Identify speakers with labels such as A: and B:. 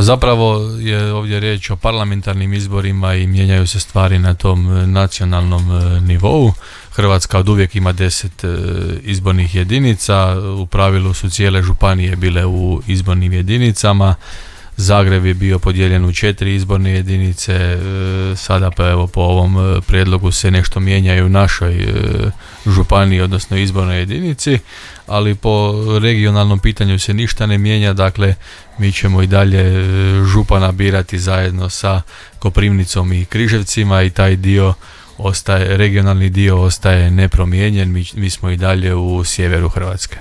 A: zapravo je ovdje riječ o parlamentarnim izborima i mijenjaju se stvari na tom nacionalnom nivou. Hrvatska od uvijek ima 10 izbornih jedinica, u pravilu su cijele županije bile u izbornim jedinicama. Zagreb je bio podijeljen u 4 izborne jedinice, sada pa evo po ovom prijedlogu se nešto mijenja i u našoj županiji, odnosno izbornoj jedinici, ali po regionalnom pitanju se ništa ne mijenja, dakle mi ćemo i dalje župana birati zajedno sa Koprivnicom i Križevcima i taj dio ostaje, regionalni dio ostaje nepromijenjen, mi smo i dalje u sjeveru Hrvatske.